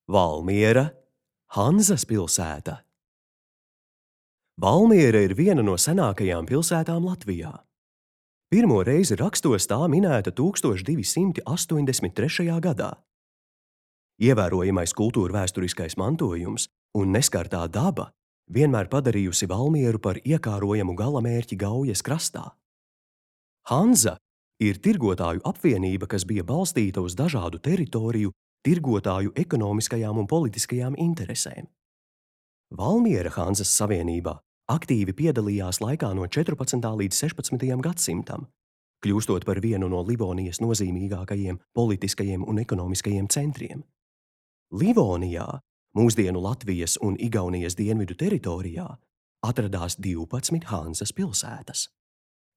Valmiera, Hanzas pilsēta. Valmiera ir viena no senākajām pilsētām Latvijā. Pirmo reizi rakstos tā minēta 1283. gadā. Ievērojamais kultūrvēsturiskais mantojums un neskartā daba vienmēr padarījusi Valmieru par iekārojamu galamērķi Gaujas krastā. Hanza ir tirgotāju apvienība, kas bija balstīta uz dažādu teritoriju tirgotāju ekonomiskajām un politiskajām interesēm. Valmiera Hanzas savienībā aktīvi piedalījās laikā no 14. līdz 16. gadsimtam, kļūstot par vienu no Livonijas nozīmīgākajiem politiskajiem un ekonomiskajiem centriem. Livonijā, mūsdienu Latvijas un Igaunijas dienvidu teritorijā, atradās 12 Hanzas pilsētas.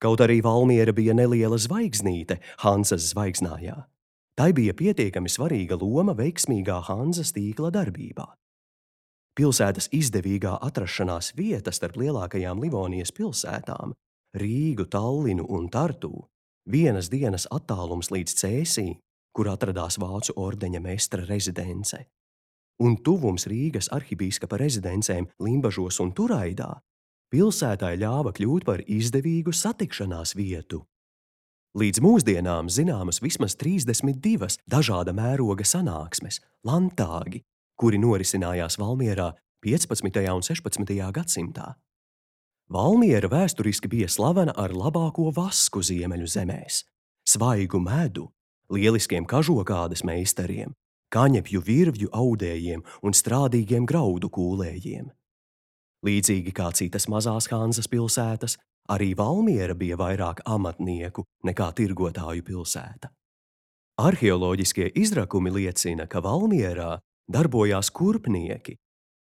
Kaut arī Valmiera bija neliela zvaigznīte Hanzas zvaigznājā, tai bija pietiekami svarīga loma veiksmīgā Hanzas tīkla darbībā. Pilsētas izdevīgā atrašanās vieta starp lielākajām Livonijas pilsētām, Rīgu, Tallinu un Tartu, vienas dienas attālums līdz Cēsī, kur atradās Vācu ordeņa meistra rezidence, un tuvums Rīgas arhibīskapa rezidencēm Limbažos un Turaidā, pilsētai ļāva kļūt par izdevīgu satikšanās vietu. Līdz mūsdienām zināmas vismaz 32 dažāda mēroga sanāksmes, landtāgi, kuri norisinājās Valmierā 15. un 16. gadsimtā. Valmiera vēsturiski bija slavena ar labāko vasku ziemeļu zemēs, svaigu medu, lieliskiem kažokādes meistariem, kaņepju virvju audējiem un strādīgiem graudu kūlējiem. Līdzīgi kā citas mazās Hanzas pilsētas, arī Valmiera bija vairāk amatnieku nekā tirgotāju pilsēta. Arheoloģiskie izrakumi liecina, ka Valmierā darbojās kurpnieki,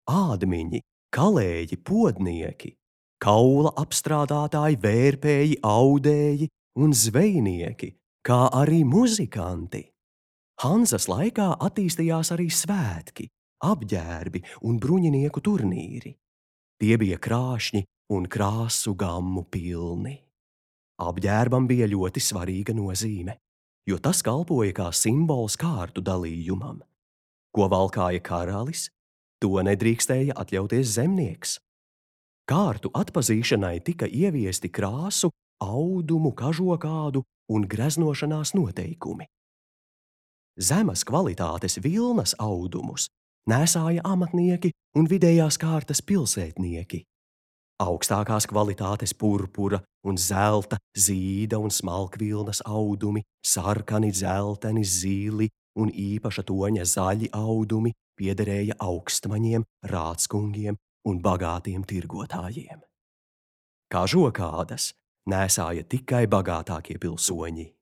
ādmiņi, kalēji, podnieki, kaula apstrādātāji, vērpēji, audēji un zvejnieki, kā arī muzikanti. Hanzas laikā attīstījās arī svētki, apģērbi un bruņinieku turnīri. Tie bija krāšņi un krāsu gammu pilni. Apģērbam bija ļoti svarīga nozīme, jo tas kalpoja kā simbols kārtu dalījumam. Ko valkāja karalis, to nedrīkstēja atļauties zemnieks. Kārtu atpazīšanai tika ieviesti krāsu, audumu, kažokādu un greznošanās noteikumi. Zemas kvalitātes vilnas audumus nēsāja amatnieki un vidējās kārtas pilsētnieki. Augstākās kvalitātes purpura un zelta, zīda un smalkvilnas audumi, sarkani, dzelteni, zili un īpaša toņa zaļi audumi piederēja augstmaņiem, rāckungiem un bagātiem tirgotājiem. Kažokādas nēsāja tikai bagātākie pilsoņi.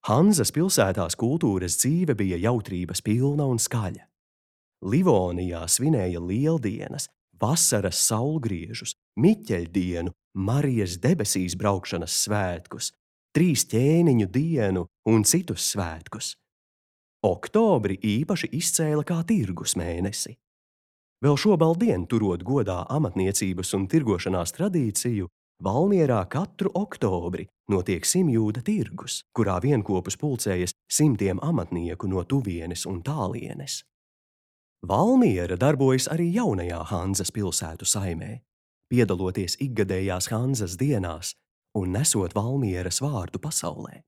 Hanzas pilsētās kultūras dzīve bija jautrības pilna un skaļa. Livonijā svinēja lieldienas, vasaras saulgriežus, Miķeļdienu, Marijas debesīs braukšanas svētkus, 3 ķēniņu dienu un citus svētkus. Oktobri īpaši izcēla kā tirgus mēnesi. Vēl šobaldien, turot godā amatniecības un tirgošanās tradīciju, Valmierā katru oktobri notiek simjūda tirgus, kurā vienkopus pulcējas simtiem amatnieku no tuvienes un tālienes. Valmiera darbojas arī jaunajā Hanzas pilsētu saimē, piedaloties ikgadējās Hanzas dienās un nesot Valmieras vārdu pasaulē.